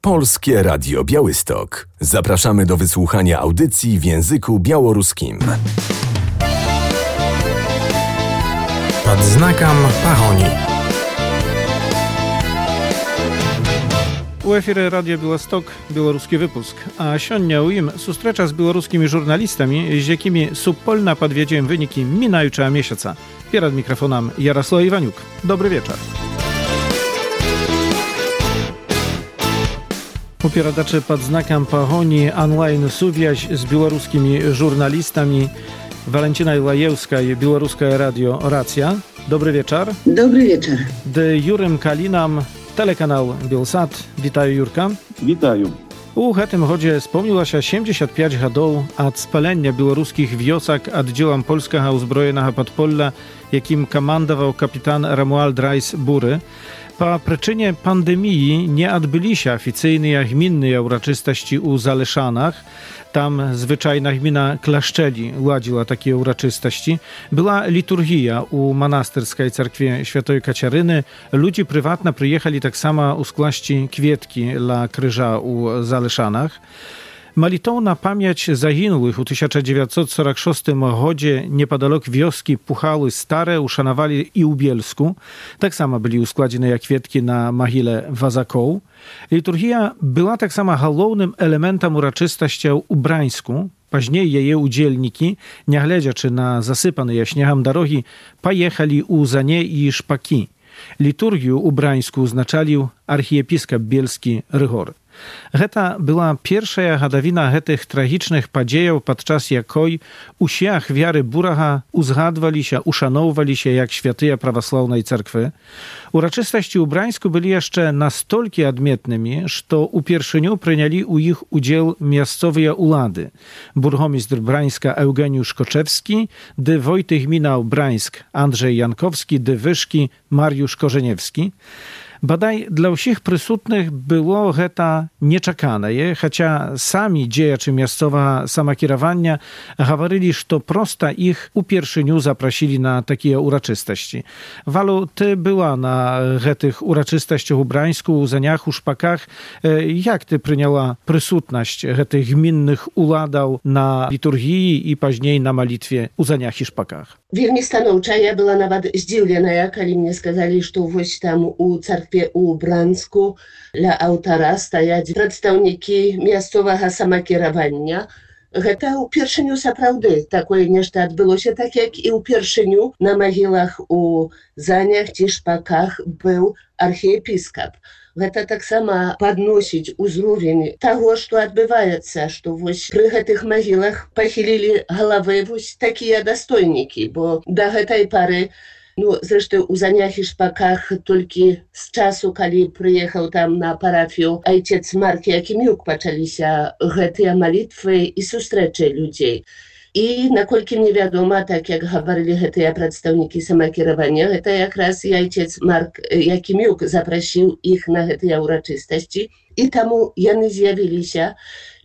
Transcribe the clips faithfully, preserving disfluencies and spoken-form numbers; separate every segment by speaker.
Speaker 1: Polskie Radio Białystok. Zapraszamy do wysłuchania audycji w języku białoruskim.
Speaker 2: Pod znakом Pahoni.
Speaker 3: U efiry Radio Białystok, białoruski wypusk. A siądnia u im sustrzecza z białoruskimi żurnalistami, z jakimi subpolna podwiedziałem wyniki minającego miesiąca. Przed mikrofonem Jarosław Iwaniuk. Dobry wieczór. Upieradacze pod znakiem Pahoni online suwiaź z białoruskimi żurnalistami. Walentyna Lajewska i Białoruskie Radio Racja. Dobry wieczór.
Speaker 4: Dobry wieczór.
Speaker 3: De Jurem Kalinam, telekanał Bielsat. Witaję Jurka.
Speaker 5: Witaję.
Speaker 3: U tym chodzie spełniło się siedemdziesiąt pięć lat od spalenia białoruskich wiosek oddziałem polskiego uzbrojonego podpolla, jakim komandował kapitan Romuald Rajs-Bury. Po przyczynie pandemii nie odbyli się oficjalne gminne uroczystości u Zaleszanach. Tam zwyczajna gmina Klaszczeli ładziła takie uroczystości. Była liturgia u monastyrskiej cerkwie Świętej Kaciaryny. Ludzie prywatnie przyjechali tak samo uskłaść kwietki dla krzyża u Zaleszanach. Malitowna pamięć zaginłych u tysiąc dziewięćset czterdziestym szóstym rodzie niepodalok wioski Puchały Stare uszanowali i u Bielsku. Tak samo byli uskładzione jak kwietki na mogile Wazakoł. Liturgia była tak samo głównym elementem uroczystości u Brańsku. Później jej udzielniki, nie ględziaczy na zasypane śniegiem drogi, pojechali u Zanie i Szpaki. Liturgię u Brańsku oznaczali archiepiskop bielski Rygor. Geta była pierwsza gadawina tych tragicznych podziejów, podczas jakoj usiach wiary Buracha uzgadwali się, uszanowali się jak świętyja prawosławnej cerkwy. Uroczystości u Brańsku byli jeszcze nastolki odmietnymi, że u pierwszyniu przyjęli u ich udział miejscowe ulady. Burgomistrz Brańska Eugeniusz Koczewski, dy Wojtek Minał Brańsk Andrzej Jankowski, dy Wyszki Mariusz Korzeniewski. Badaj dla wszystkich przysutnych było geta nieczekane, chociaż sami dziejacze miejscowa samakierowania mówili, że prosta ich u pierwszyniu zaprosili na takie uroczystości. Walu, ty była na tych uroczystościach u Brańsku, u Zaniach, u Szpakach. Jak ty przyjęła przysutność tych gminnych uladał na liturgii i później na malitwie u Zaniach i Szpakach?
Speaker 4: Wielmi stanowcza, ja była nawet zdziwiona, kiedy mnie skazali, że właśnie tam u cerkwie u Brańsku dla autora stajać przedstawniki miejscowego samakierowania. To u pierwszyniu naprawdę takie nieszta odbyło się, tak jak i u pierwszyniu na mogilach u Zaniach czy Szpakach był archiepiskop. To tak samo podnosić uzrowień tego, co odbywa się, że przy tych mogilach pochylili głowy takie dostojniki, bo do tej pory, no zresztą u Zaniach i Szpakach tylko z czasu, kiedy przyjechał tam na parafię ojciec Mark Jakimiuk, zaczęli się te modlitwy i sustrzecie ludzi. I nakolki nie wiadomo, tak jak mówili te przedstawniki samakierowania, to jak raz ojciec Mark Jakimiuk zaprosił ich na te uroczystości i tam oni zjawili się.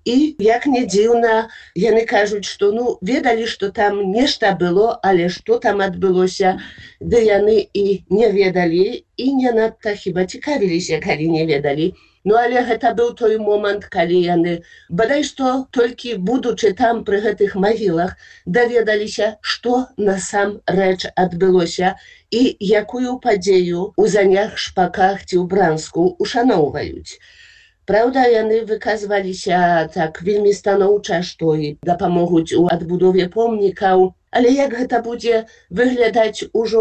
Speaker 4: I jak nie dziwne, oni кажуть, że no, wiedzieli, że tam nieszta było, ale co tam odbyło się, gdy oni i nie wiedzieli i nie nadto chyba ciekawili się, kiedy nie wiedzieli. No ale to był ten moment, kiedy oni, bodaj to tylko будучи tam przy tych mogilach, dowiedzieli się, co na sam rzecz odbyło się i jaką podzieję u Zaniach, Szpakach czy u Brańsku uszanowają. Prawda, oni wykazywali się tak wielmi stanowczo, że i dopomogą u odbudowie pomników, ale jak to będzie wyglądać już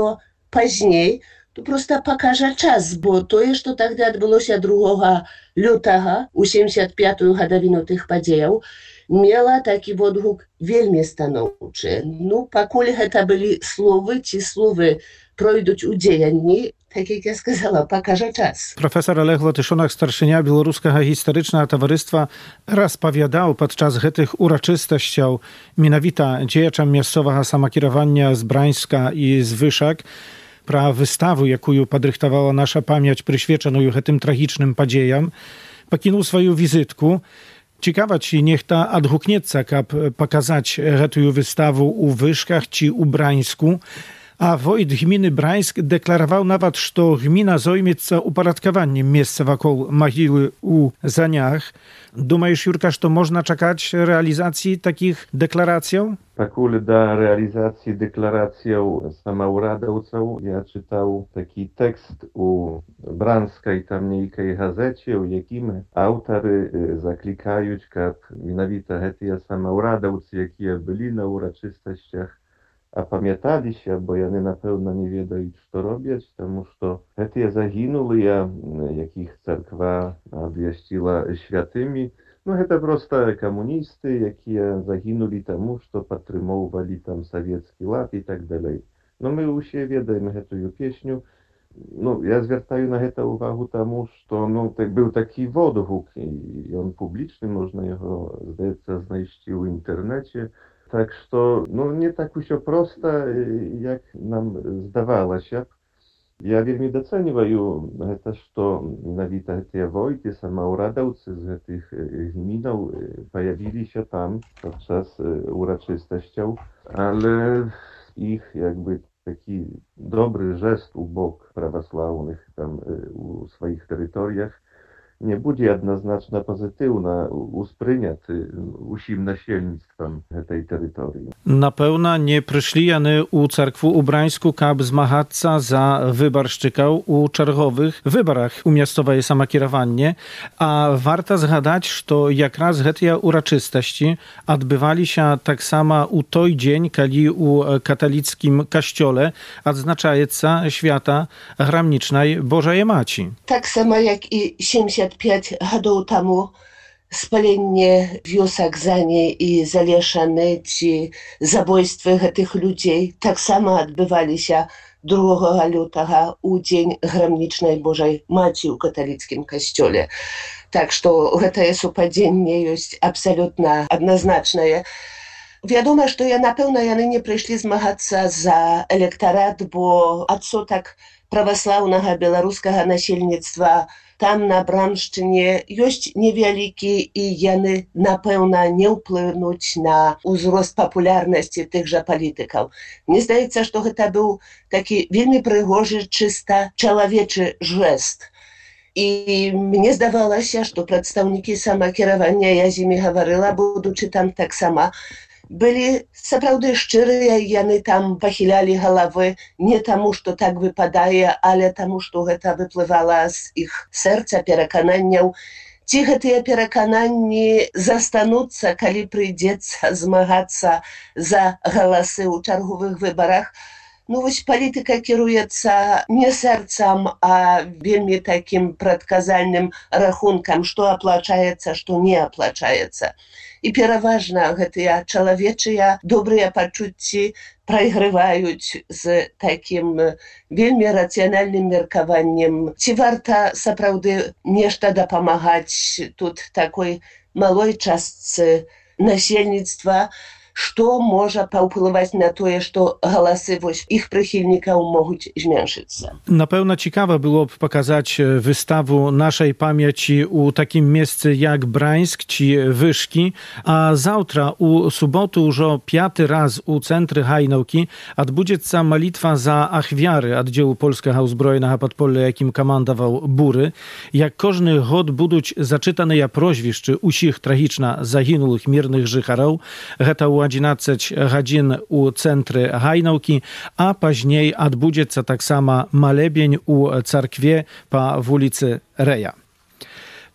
Speaker 4: później, to prosto pokaże czas, bo to jeszcze wtedy odbyło się drugiego lutego, osiemdziesiąt piątą gadowinę tych podziejów, miała taki odgłos wielmi stanowczy. No, поколь to byli słowy, ci słowy przejdą u dziejni, tak jak ja сказала, pokaże czas.
Speaker 3: Profesor Olech Łotyszunak, starszynia Białoruskiego Historycznego Towarzystwa, rozpowiadał podczas tych uroczystości mianowita dziejaczom miejscowego samakierowania z Brańska i z Wyszek, pra wystawę, jaką podrychtowała nasza pamięć przyświeczoną tym tragicznym podziejom, pokinął swoją wizytkę. Ciekawa ci niech ta odhuknieca, kap pokazać tę wystawę u Wyszkach czy u Brańsku. A wojt gminy Brańsk deklarował nawet, że gmina zajmie uporządkowaniem miejsca wokół mogiły u Zaniach. Думаешь, Jurka, że to można czekać realizacji takich deklaracji?
Speaker 5: Покуль до реализации декларации самоурадовцев я читал такий текст у Бранской там некой газете, у яким авторы закликають, как миновито эти самоурадовцы, які були на урочистостях, а пам'яталися, бо вони, напевно, не ведають, що роблять, тому що ці загинули, яких церква обвістила святими. Ну, это просто коммунисты, які загинули тому, що підтримували там совєтський лад і так далі. Ну, ми усі ведаємо цю пісню. Ну, я звертаю на це увагу тому, що, ну, так, був такий відгук, і він публічний, можна його, здається, знайти в інтернеті. Так що, ну, не так усе просто, як нам здавалося. Я вельми доцениваю это, что навіта эти войты, самоурадовцы з этих гминов появились там подчас урочистостей, але их якби такий добрий жест у бок православних там у своїх територіях nie będzie jednoznacznie pozytywna uspryняty усім насельництвом tej terytorii.
Speaker 3: Na pewno nie przyszli jany u cerkwu u Brańsku, kab zmagаться za wyborszczykał u czergowych wyborach u miastowej samokierowanie, a warto zgadać, że jak raz te uroczystości odbywali się tak samo u той dzień, kiedy u katolickim kościole odznaczaється święta gramnicznej Bożej Maci.
Speaker 4: Tak samo jak i siedemdziesiąt pięć годów temu spalenie wiosek Zani i Zalieszany, czy zabójstwa tych ludzi, tak samo odbywali się drugiego lutego u Dzień Gramnicznej Bożej Maci u katolickim kościole. Tak, że to jest upadenie jest absolutnie jednoznaczne. Wiadomo, że ja na pewno ja nie przyszli zmagać za elektorat, bo odsetek prawosławnego białoruskiego nasielnictwa tam na Bramszczynie jest niewielki i jany na pewno nie wpłynąć na wzrost popularności tychże polityków. Mnie zdaje się, że to był taki wielmi przygorzy, czysto człowieczy gest. I mnie zdawało się, że przedstawniki samokierowania, ja z nimi mówiła, будучи tam tak samo, byli naprawdę szczerzy i oni tam pochylali głowy nie temu, że tak wypadaje, ale temu, że to wypływało z ich serca, przekonania. Ci te przekonania zastaną się, kiedy przyjdzie zmagać za głosy u czergowych wyborach. No właśnie polityka kieruje się nie sercem, a wielmi takim przedkazalnym rachunkiem, co opłacaje się, co nie opłacaje się. I przeważnie te człowieczie dobre poczucie przegrywają z takim wielmi racjonalnym mierkowaniem. Czy warto naprawdę nešto dopomagać tu takiej małej części nasielnictwa, что może powpływać na to, że głosy ich przychylników mogą zmniejszyć się.
Speaker 3: Na pewno ciekawe byłoby pokazać wystawę naszej pamięci u takim miejscu jak Brańsk czy Wyszki, a zawtra u sobotu już piąty raz u Centry Hajnałki odbędzie się malitwa za achwiary oddziału Polskiego Uzbrojonego Podpolia, jakim komandował Bury. Jak każdy rok będą zaczytane ja proświszczy usich tragiczna zaginulych miernych życharów, u jedenaście godzin u Centry Hajnałki, a później odbędzie się tak samo malebień u cerkwie po ulicy Reja.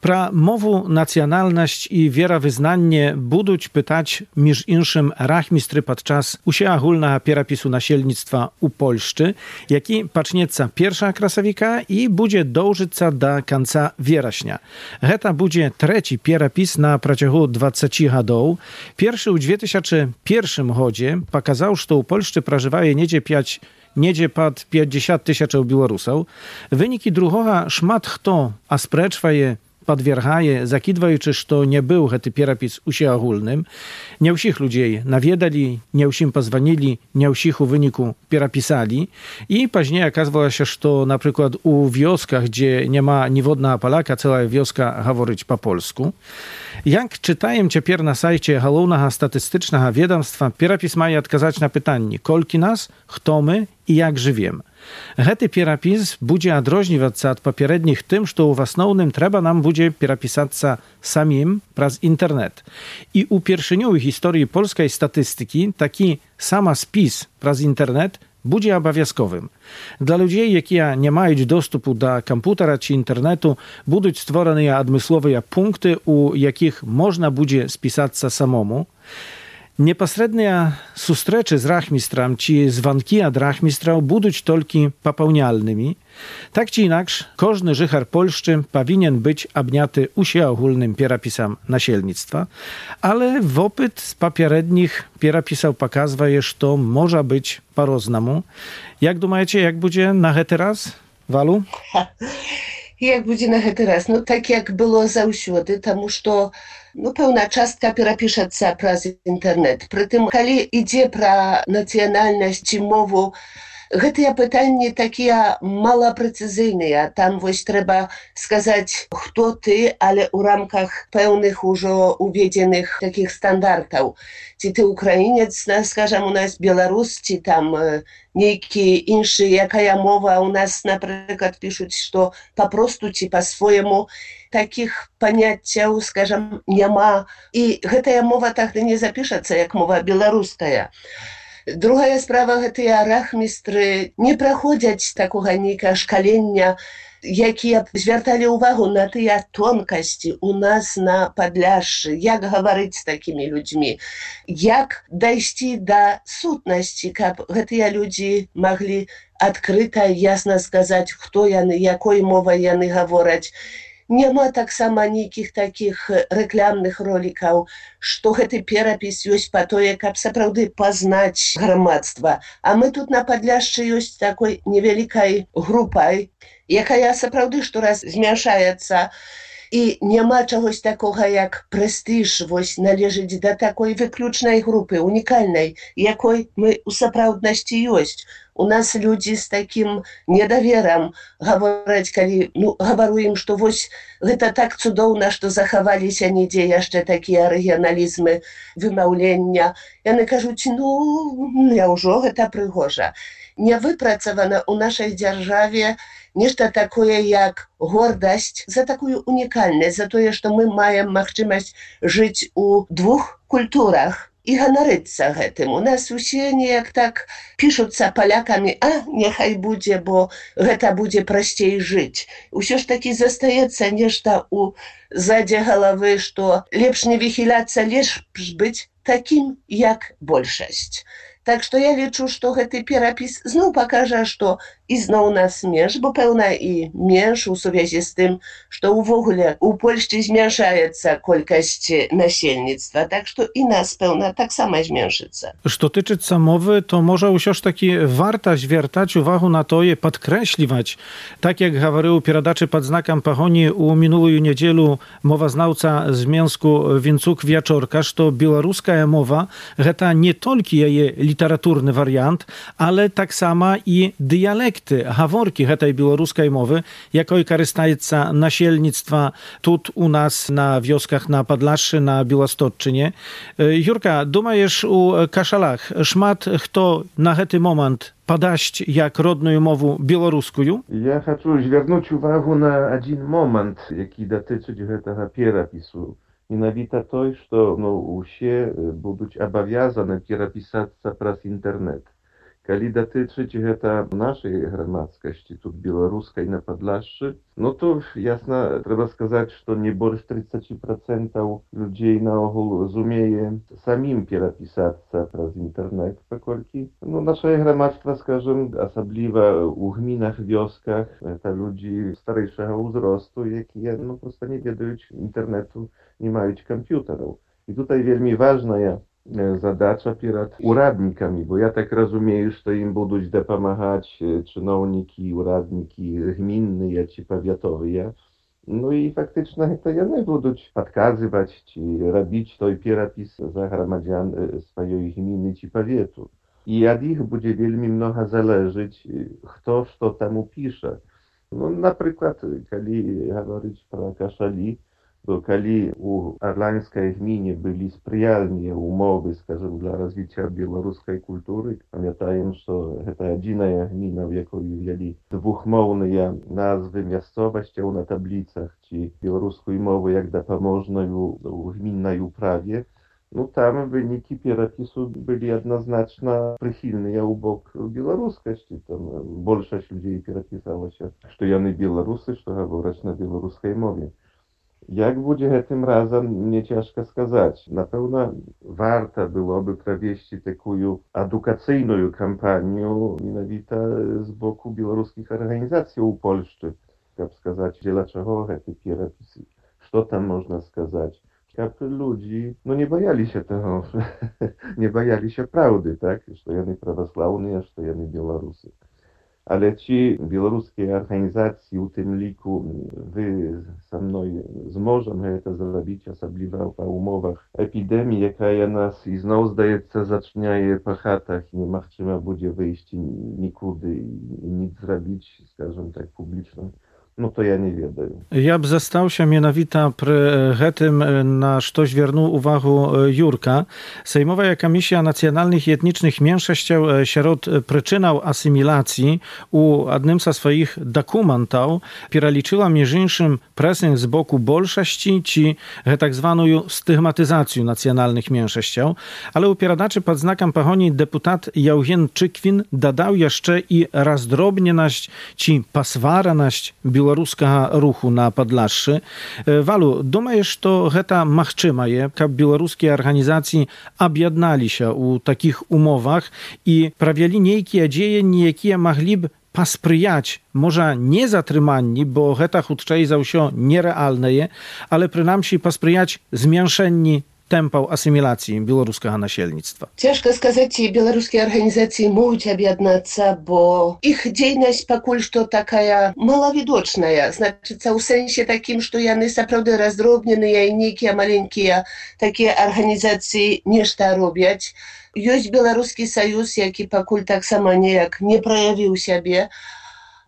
Speaker 3: Pra mowu nacjonalność i wierowyznanie buduć pytać między inszym rachmistry podczas usia ogólnego pierapisu nasielnictwa u Polszczy, jaki pacznieca pierwsza krasowika i będzie dążyca do końca wierośnia. Heta będzie trzeci pierapis na przeciągu dwudziestu lat. Pierwszy w dwa tysiące pierwszym godzie pokazał, że u Polszczy prażywaje niedzie pięć Niedzie pod pięćdziesiąt tysięcy Białorusów. Wyniki drugiego szmat kto, a spreczwaje подвергае, закидваючы, што не быў гэты перапіс усеагульным. Не ўсіх людзей наведалі, не ўсім пазванілі, не ўсіх у выніку перапісалі. І пазней аказвалася, што, напрыклад, у вёсках, дзе няма ніводнага паляка, цэлая вёска гаворыць па-польску. Як чытаем цяпер на сайце галоўнага статыстычнага ведомства, перапіс мае адказаць на пытанні: колькі нас, хто мы і як жывем. Гэты перапіс будзе адрознівацца ад папярэдніх тым, што ў асноўным трэба нам будзе перапісацца самім праз інтэрнэт. І ўпершыню ў гісторыі польскай статыстыкі такі самаспіс праз інтэрнэт будзе абавязковым. Для людзей, якія не маюць доступу да кампутара ці інтэрнэту, будуць створаныя адмысловыя пункты, у якіх можна будзе спісацца самому. Непасрэдныя сустрэчы з рахмістрам ці званкі ад рахмістраў будуць толькі папаўняльнымі. Так ці інакш, кожны жыхар Польшчы павінен быць абняты усеагульным перапісам насельніцтва, але вопыт з папярэдніх перапісаў паказвае, што можа быць па-рознаму. Як думаеце, як будзе на гэты раз, Валу?
Speaker 4: Як будзе на гэты раз? Ну, так як было заўсёды, таму што ну, пэўна частка перапішацца праз інтэрнэт. Прытым, калі ідзе пра нацыянальнасць ці мову, гэтыя пытанні такія малапрэцызыйныя. Там вось трэба сказаць, хто ты, але ў рамках пэўных ужо уведзеных такіх стандартаў. Ці ты украінец, скажам, у нас беларус, ці там нейкі іншы, якая мова. У нас, напрыклад, пішуць, што папросту ці па-свойму. Такіх паняццяў, скажам, няма. І гэтая мова тагды не запішацца, як мова беларуская. Другая справа, гэтыя рахмістры не праходзяць такога нейкага шкалення, якія звярталі ўвагу на тыя тонкасці у нас на Падляшшы, як гаварыць з такімі людзьмі, як дайсці да сутнасці, каб гэтыя людзі маглі адкрыта, ясна сказаць, хто яны, якой мовай яны гавораць. Няма таксама нейкіх такіх рэкламных ролікаў, што гэты перапіс ёсць па тое, каб сапраўды пазнаць грамадства. А мы тут на Падляшшы ёсць такой невялікай групай, якая сапраўды штораз змяншаецца. І няма чагось такога, як прэстыж, вось належыць да такой выключнай групы, унікальнай, якой мы ў сапраўднасці ёсць. У нас людзі з такім недаверам гавораць, калі ну, гавару ім, што вось гэта так цудоўна, што захаваліся нідзе яшчэ такія рэгіяналізмы вымаўлення. Яны кажуць, ну, няўжо гэта прыгожа. Не выпрацавана ў нашай дзяржаве нешта такое, як гордасць за такую унікальнасць, за тое, што мы маем магчымасць жыць у двух культурах і ганарыцца гэтым. У нас усе неяк так пішуцца палякамі, а няхай будзе, бо гэта будзе прасцей жыць. Усё ж такі застаецца нешта ў задзе галавы, што лепш не выхіляцца, лепш быць такім, як большасць. Так што я лічу, што гэты перапіс зноў пакажа, што ізноў нас менш, бо пэўна і менш у сувязі з тым, што ўвогуле у Польшчы змяншаецца колькасць насельніцтва, так што і нас, пэўна, таксама зменшыцца.
Speaker 3: Што тычыцца мовы, то можа ўсё ж такі варта звяртаць увагу на тое, падкрэсліваць, так як гаварыў у перадачы пад знакам пагоні ў мінулую нядзелю мовазнаўца з Менску Вінцук Вячорка, што беларуская мова гэта не толькі яе літаратурны варыянт, але таксама і дыялекты, гаворкі гэтай беларускай мовы, якой карыстаецца насельніцтва тут у нас на вёсках на Падляшшы, на Беластотчыне. Юрка, думаеш, у Кашалах шмат хто на гэты момант падасць як родную мову беларускую?
Speaker 5: Я хачу звярнуць увагу на адзін момант, які датычыць гэтага перапісу. Менавіта той, што ну, усе будуць абавязаны перапісацца праз інтэрнэт. Калі датычыць гэта нашай грамадскасці, тут беларускай на Падляшшы, ну то ясна, трэба сказаць, што не больш тридцать процентаў людзей наогул зумее самім перапісацца праз інтэрнэт, паколькі ну, нашае грамадства, скажем, асабліва ў гмінах, вёсках, гэта людзі старэйшага ўзросту, якія ну, проста не ведаюць інтэрнэту, не маюць камп'ютараў. І tutaj вельмі важная задача перад ураднікамі, бо я так разумею, што ім будуць дапамагаць чыноўнікі, ураднікі гмінныя ці павятовыя. Ну і фактычна гэта яны будуць падказваць ці рабіць той перапіс за грамадзян сваёй гміны ці павету. І ад іх будзе вельмі многа залежыць, хто што там упіша. Ну, напрыклад, калі гаварыць пра Кашалі, то калі у арланскай гміне былі спрыяльныя умовы, скажем, для развіцця беларускай культуры, памятаем, што гэта адзіная гміна, в якой увялі двухмоўныя назвы мясцовасцяў на табліцах ці беларускую мову як дапаможную ў гміннай управе, ну там вынікі перапісу былі адназначна прыхільныя ў бок беларускасці. Там большасць людзей перапісалася, што яны беларусы, што гавораць на беларускай мове. Як будзе гэтым разам, мне цяжка сказаць. Напэўна, варта было бы правесці такую адукацыйную кампанію менавіта з боку беларускіх арганізацый у Польшчы, каб сказаць, дзеля чаго гэты перапіс, што там можна сказаць. Каб людзі, ну, не баяліся таго, не баяліся праўды, так, што яны праваслаўныя, што яны беларусы. Але ці беларускія арганізацыі, у тым ліку вы са мной зможам гэта зрабіць, асабліва па умовах эпідэміі, якая нас ізноў, здаецца, зачняе па хатах, і немагчыма будзе выйсці нікуды і ніц зрабіць, скажам так, публічна. Ну, то я не ведаю.
Speaker 3: Я б застаўся менавіта пры гэтым, на што звярнуў увагу Юрка. Sejmowa Komisja Nacjonalnych i Etnicznych Mniejszościów wśród przyczynał asymilacji u jednym ze swoich dokumentów перелічыła між іншым presję z boku bolszości czy tak zwaną stygmatyzację nacjonalnych mniejszościów, ale u pieradaczy pod znakiem pahoni deputat Jaugen Czykwin dodał jeszcze i rozdrobnieność czy paswaraność беларускага руху на Падляшшы. Валу, думаеш, што гэта магчымае, каб беларускія арганізацыі аб'ядналіся ў такіх умовах і правялі нейкія дзеянні, якія маглі б паспрыяць, можа, не затрыманні, бо гэта хутчэй за ўсё нерэальнае, але прынамсі паспрыяць змяншэнні темпаў асіміляцыі беларускага насельніцтва?
Speaker 4: Цяжка сказаць, ці беларускія арганізацыі могуць аб'яднацца, бо іх дзейнасць пакуль што такая малавідочная. Значыцца, ў сэнсе такім, што яны сапраўды раздробненыя і нейкія маленькія такія арганізацыі нешта робяць. Ёсць Беларускі саюз, які пакуль таксама неяк не праявіў сябе.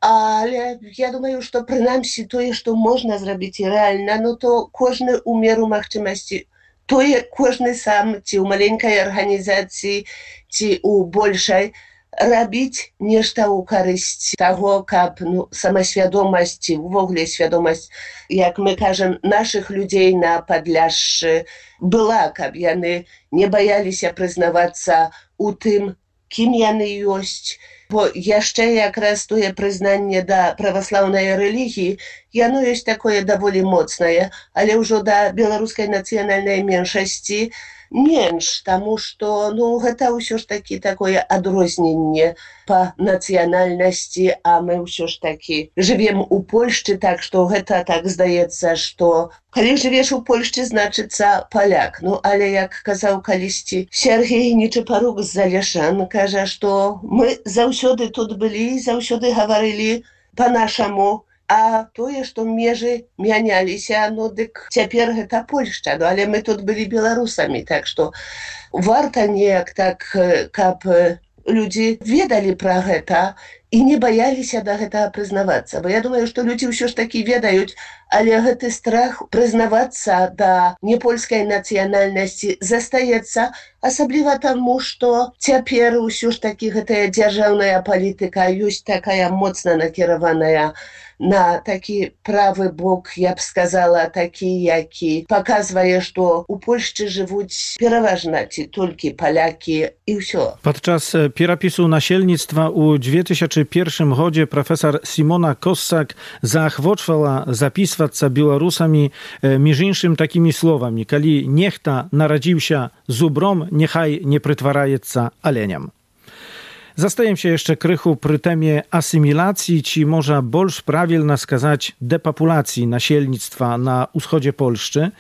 Speaker 4: Але я думаю, што прынамсі тое, што можна зрабіць і рэальна, ну то кожны ў меру магчымасці, тое кожны сам, ці ў маленькай арганізацыі, ці ў большай, рабіць нешта ў карысць таго, каб ну, самасвядомасць, ці ўвогуле свядомасць, як мы кажам, нашых людзей на Падляшшы была, каб яны не баяліся прызнавацца ў тым, кім яны ёсць. Бо яшчэ якраз тое прызнанне да праваслаўнай рэлігіі, яно ёсць такое даволі моцнае, але ўжо да беларускай нацыянальнай меншасці менш, таму што ну, гэта ўсё ж такі такое адрозненне па нацыянальнасці, а мы ўсё ж такі жывем у Польшчы, так што гэта так здаецца, што калі жывеш у Польшчы, значыцца паляк. Ну, але як казаў калісьці Сергей Нечапарук з Залешан, кажа, што мы заўсёды тут былі, заўсёды гаварылі па-нашаму, а тое, што межы мяняліся, ну, дык цяпер гэта Польшча, ну, але мы тут былі беларусамі, так што варта неяк так, каб людзі ведалі пра гэта і не баяліся да гэтага прызнавацца. Бо я думаю, што людзі ўсё ж такі ведаюць, але гэты страх прызнавацца да непольскай нацыянальнасці застаецца, асабліва таму, што цяпер усё ж такі гэтая дзяржаўная палітыка ёсць такая моцна накіраваная на такі правы бок, я б сказала, такі, які паказвае, што у Польшчы жывуць пераважна ці толькі палякі і ўсё.
Speaker 3: Падчас перапісу насельніцтва ў dwa tysiące pierwszym годзе прафесор Сімона Косак заахвочвала запісвацца беларусамі між іншым такімі словамі: калі нехта нарадзіўся зубром, няхай не прытвараецца аленям. Zastajem się jeszcze krychu przy temie asymilacji, ci może больш prawilna skazać depopulacji nasielnictwa na wschodzie Polszczy.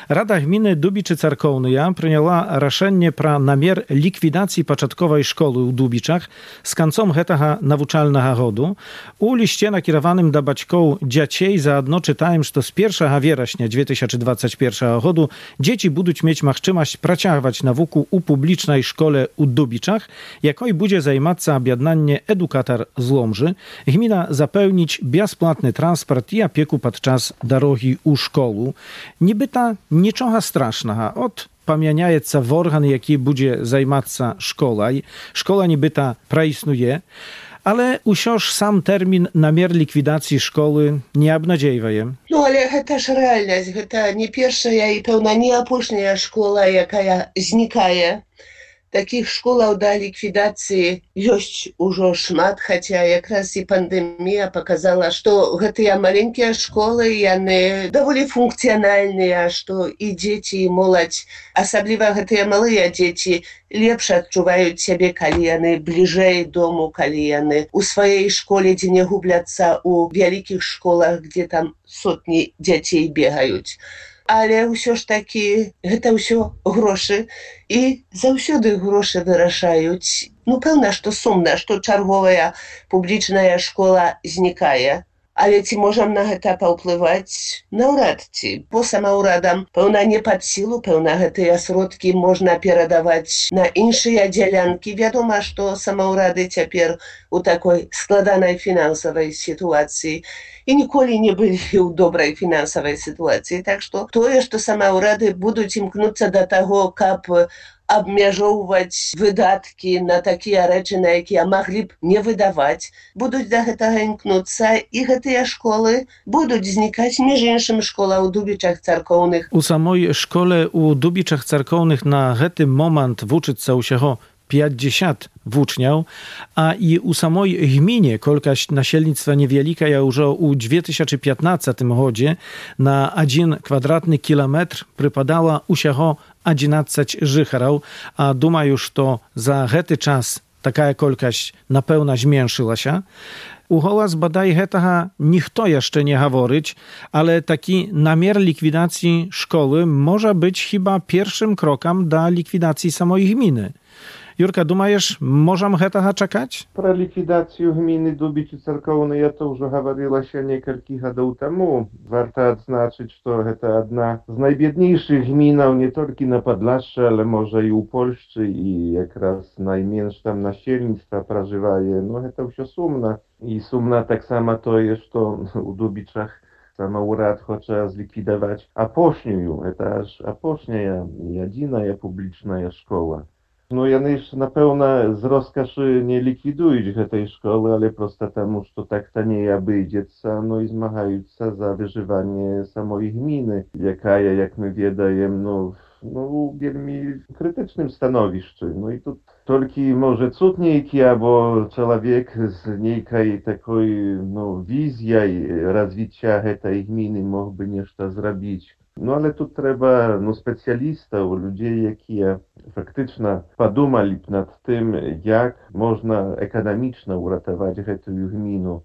Speaker 3: Rada Gminy Dubiczy-Carkownyja przyjęła raszenie pra namiar likwidacji początkowej szkoły u Dubiczach z końcem hetaha nawuczalnego godu. U liście nakierowanym do baćków dzieciej zaadno czytałem, że to z pierwszego września dwa tysiące dwudziestego pierwszego godu dzieci będą mieć możliwość pracować na wuku u publicznej szkole u Dubiczach, jakoj będzie zajmować objednanie edukator z Łomży. Gmina zapełnić bezpłatny transport i opieku podczas drogi u szkolu. Niby ta niczego strasznego. Od pamiętajeca w organ, jaki będzie zajmować szkoła. Szkoła niby ta praistnuje, ale usiąż sam termin namiar likwidacji szkoły nie obnadziewaje.
Speaker 4: No ale to też realność. To nie pierwsza i pełna nie ostatnia szkoła, jaka znikaje. Takich szkoł do likwidacji jest już szmat, chociaż jak raz i pandemia pokazała, że te maleńkie szkoły one довольно funkcjonalne, że i dzieci, i młodzież, особливо te małe dzieci, lepsze odczuwają siebie, kiedy one bliżej domu, kiedy one u swojej szkole, gdzie nie gubią u wielkich szkołach, gdzie tam setki dzieci biegają. Ale все ж таки это все гроши и заўсёды гроши вырашаюць. Ну пэўна, што сумна, што чарговая публічная школа знікае. Але ці можам на гэта паўплываць? Наўрад ці. По самаўрадам пэўна не пад сілу, пэўна гэтыя сродкі можна перадаваць на іншыя дзялянкі. Вядома, што самаўрады цяпер у такой складанай фінансавай сітуацыі і ніколі не былі ў добрай фінансавай сітуацыі. Так што тое, што самаўрады будуць імкнуцца да таго, каб абмяжоўваць выдаткі на такія рэчы, на якія маглі б не выдаваць, будуць да гэтага імкнуцца, і гэтыя школы будуць знікаць. Між іншым, школа ў Дубічах Царкоўных.
Speaker 3: У самой школе у Дубічах Царкоўных на гэты момант вучыцца ўсяго pięćdziesiąt włóczniał, a i u samej gminie kolkaś nasielnictwa niewielika ja już u dwa tysiące piętnastym godzie na jeden kwadratny kilometr przypadała usiacho jedenaście życharał, a duma już to za hety czas taka kolkaś na pełna zmniejszyła się. U hołas badaj hetaha nichto jeszcze nie haworyć, ale taki namiar likwidacji szkoły może być chyba pierwszym krokiem do likwidacji samej gminy. Jurka, думаешь, можем этого czekać?
Speaker 5: Про ликвидацию гмины Дубичи Церковной я тоже говорила еще несколько годов тому. Warto odznaczyć, что это одна z najbiedniejszych gminów nie tylko na Podlaszu, ale może i u Polszczy i jak raz najmniejsze tam nasielnictwa przeżywaje. No to все sumna. I sumna tak samo to jest, że u Dubiczach самоурад хоче zlikwidować apośniu. To aż apośnia, jedyna publiczna szkoła. No, яны ж, напэўна, з роскашы не ліквідуюць гэтай школы, але проста таму, што так танней абыдзецца, ну і змагаюцца за выжыванне самой гміны, якая, як мы ведаем, ну, ну, у вельмі крытычным становішчы. Ну і тут толькі, можа, цуд нейкі, або чалавек з нейкай такой, ну, візіяй развіцця гэтай гміны мог бы нешта зрабіць. No ale tu trzeba no, specjalistów, ludzi, jakие faktycznie podumali nad tym, jak można ekonomicznie uratować tę gminę.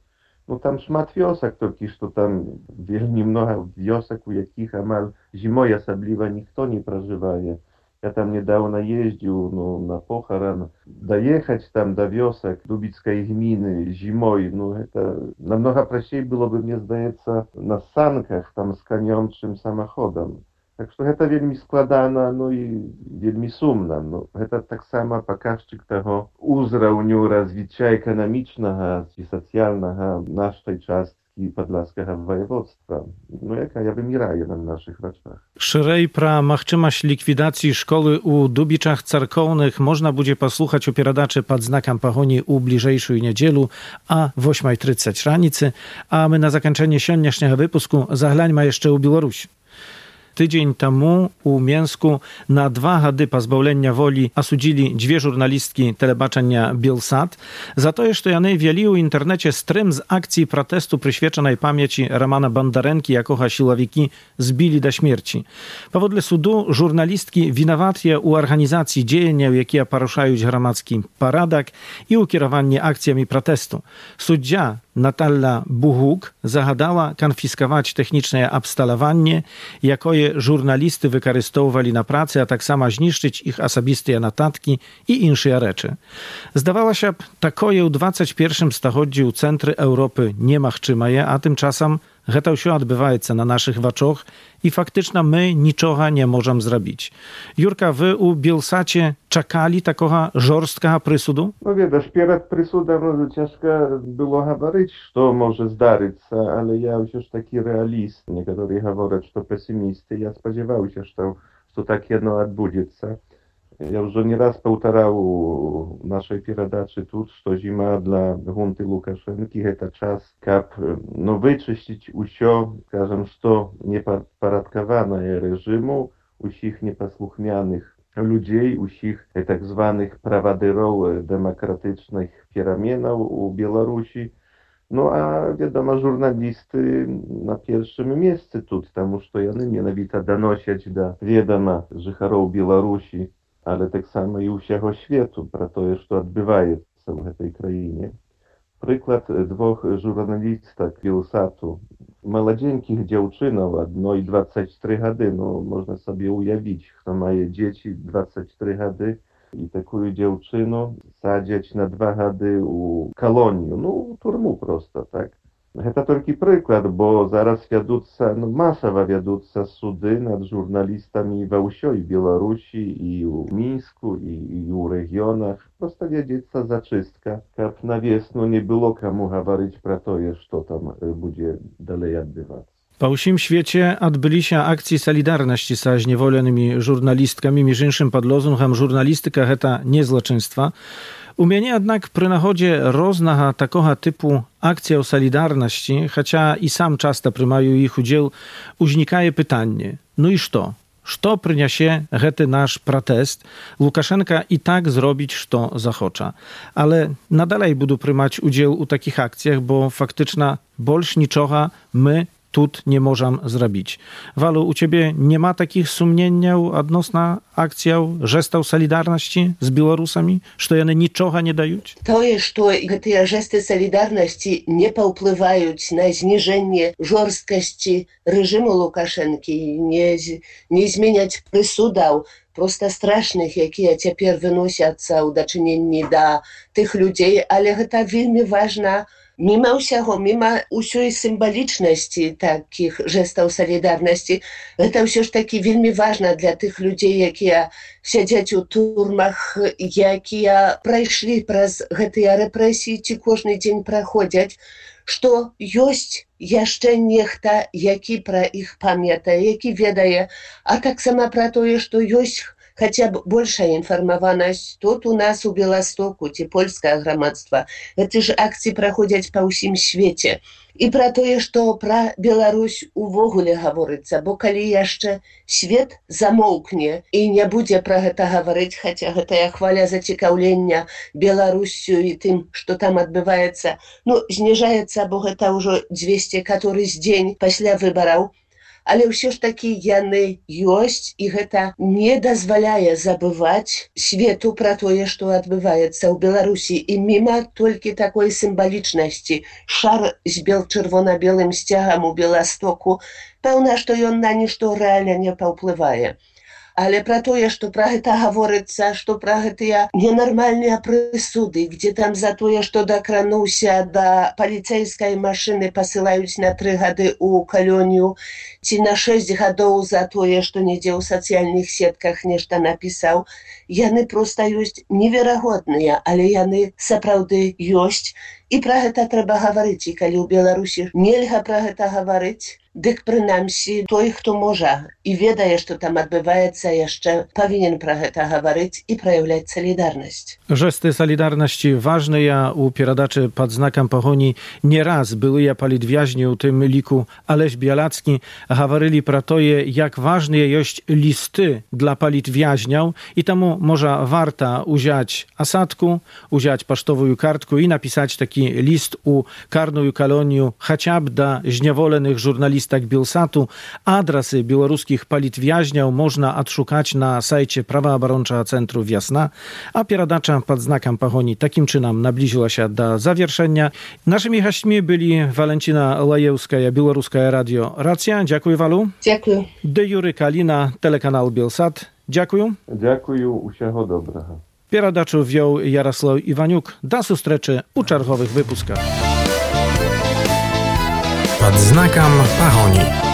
Speaker 5: No tam szmat wiosek, tylko że tam wielmi mnogo wiosek, u jakich amal zimой особливо никто nie przeżywaje. Ja tam niedawno jeździł no, na pochoron. Dojechać tam do wiosek Dubickiej gminy zimой, no to намного prościej byłoby, mnie zdaje się, na sankach tam z kaniączym samochodem. Tak że to wielmi składana, no i wielmi sumna. No, to tak samo pokaźczyk tego uzrałniu rozwicia ekonomicznego i socjalnego naszej czastki Podlaskiego województwa. No jaka ja wymieraję na naszych oczach.
Speaker 3: Szerzej pra machczymaś likwidacji szkoły u Dubiczach Carkownych można będzie posłuchać opieradaczy pod znakiem pachoni u bliżejszej niedzielu, a w ósmej trzydzieści ranicy, a my na zakończenie siódmego wypusku zahlańmy jeszcze u Białorusi. Tydzień temu u Mięsku na dwa gady pozbawienia woli osudzili dwie żurnalistki telebaczenia Bielsat za to, że jany wieli u internecie stream z akcji protestu przyświeczonej pamięci Romana Bondarenki, jakoha siłowiki zbili do śmierci. Powodle sudu żurnalistki winowatje u organizacji dziejenia, jakie poruszają gromadzki paradak i ukierowanie akcjami protestu. Suddzia Natalia Buchuk zagadała konfiskować techniczne abstalowanie, jakoje żurnalisty wykorzystowali na pracy, a tak samo zniszczyć ich osobiste notatki i inne rzeczy. Zdawała się, takoje u dwudziestym pierwszym stuleciu u centry Europy nie machczymaje, a tymczasem to się odbywa na naszych oczach i faktycznie my niczego nie możemy zrobić. Jurka, wy u Bielsacie czekali takiego żorstkiego przysudu?
Speaker 5: No wiesz, przed przysudem no, ciężko było говорить, co może zdarzyć się, ale ja już taki realist. Niektórzy mówią, że to pesymisty. Ja spodziewałem się, że to tak jedno odbędzie się. Ja już nie raz powtarzał w naszej передаче тут, że zima dla hunty Łukaszenki to czas, kap no wyczyścić usio, скажем, что неподпорядкованное reżimu, usich nieposłuchmianych ludzi, usich tak zwanych prawaderów demokratycznych переменов u Białorusi. No a wiadomo, żurnalisty na pierwszym miejscu tu, потому что jany mianowito donosić do wiadoma życharów Białorusi, ale tak samo i u всего światu, про to, co odbywa się w tej krainie. Przykład dwóch żurnalistek Bielsatu, młodzieńkich dziewczynów, одной двадцать три года, no można sobie ujawić, kto ma dzieci двадцать три года i taką dziewczynę sadzić na dwa gady u kolonii, no u turmu prosto, tak. To tylko przykład, bo zaraz wiaduться, no masowo wiaduться sudy nad żurnalistami we всей Białorusi i u Mińsku i, i u regionach. Prosto wiedzieć zaczystka, jak na wiosnę nie było komu mówić pro to, co tam będzie dalej odbywać.
Speaker 3: Po всім świecie odbyli się akcji solidarności z zniewolonymi żurnalistkami, między innymi pod lozungiem żurnalistyka to nie złoczyństwa. U mnie jednak przy nachodzie różnego takiego typu akcji solidarności, chociaż i sam często przyjmuję ich udział, uznikaje pytanie, no i co? Co przyniesie ten nasz protest? Łukaszenka i tak zrobić, co zachocze. Ale nadal będę przyjmować udział u takich akcjach, bo faktycznie больше niczego my tu nie możemy zrobić. Walu, u ciebie nie ma takich sumień odnośnie akcji gestów solidarności z Białorusami, że one niczego nie dają?
Speaker 4: To jest, że te gesty solidarności nie wpływają na zniżenie żorstkości reżimu Łukaszenki, nie, nie zmieniać przysudów prosto strasznych, jakie teraz wynoszą do czynienia do tych ludzi, ale to bardzo ważne. Mimo всего, mimo усей symboliczności takich gestów solidarności, to все ж таки bardzo ważne dla tych ludzi, jakie siedzą u turmach, jakie przeszli przez te represje, czy każdy dzień przechodzą, że jest jeszcze niechta, jaki pro ich pamięta, jaki wiedzie, a tak samo pro to, że jest хотя бы большая информованность тут у нас у Białegostoku, те польское громадство. Эти же акции проходят по всем свете. I про to, że про Białoruś w ogóle говорится, bo kiedy jeszcze świat zamoknie i nie będzie pro to говорить, chociaż to ja chwalę zaciekawienia Białorusią i tym, co tam odbywa się, no zniżается, bo to już dwieście któryś dzień после wyborów. Ale все ж таки яны ёсць, і гэта не дазваляе забываць свету пра тое, што адбываецца ў Беларусі. І міма толькі такой сімвалічнасці. Шар з бел-чырвона-белым сцягам у Беластоку, пэўна, што ён на нішто рэальна не паўплывае. Ale про to, że про это говорится, что про гэтыя ненормальные прысуды, где там за то, что докрануўся до полицейской машины, посылаюць на три гады у колонию, ці на шесть гадоў за то, что недзе ў сацыяльных сетках нешта напісаў, яны просто ёсць неверагодныя, але яны сапраўды ёсць. І пра гэта трэба гаварыць. І калі ў Беларусі нельга пра гэта гаварыць, дык прынамсі той, хто можа і ведае, што там адбываецца, яшчэ павінен пра гэта гаварыць і праяўляць салідарнасць.
Speaker 3: Жесты солідарнасці важныя у перадачы пад знакам пагоні не раз былыя палітвязні, у тым ліку Алесь Białacki, гаварылі пра тое, як важныя ёсць лісты для палітвязняў, і таму можа варта узяць асадку, узяць паштовую картку і напісаць такі ліст у карную калонію хаця б да зняволеных журналістак Белсату. Адрасы беларускіх палітвязняў можна адшукаць на сайце праваабарончага цэнтру «Вясна», а перадача пад знакам пагоні такім чынам наблізілася да завяршэння. Нашымі гасцьмі былі Валенціна Лаеўская, Беларускае радыё «Рацыя». Дзякуй, Валу.
Speaker 4: Дзякую.
Speaker 3: Де Юры Каліна, тэлеканал Белсат. Дзякую.
Speaker 5: Дзякую, усяго добрага.
Speaker 3: Перадачу вёў Ярослав Іванюк. Да сустрэчы у чарговых выпусках.
Speaker 2: Под знаком пагони.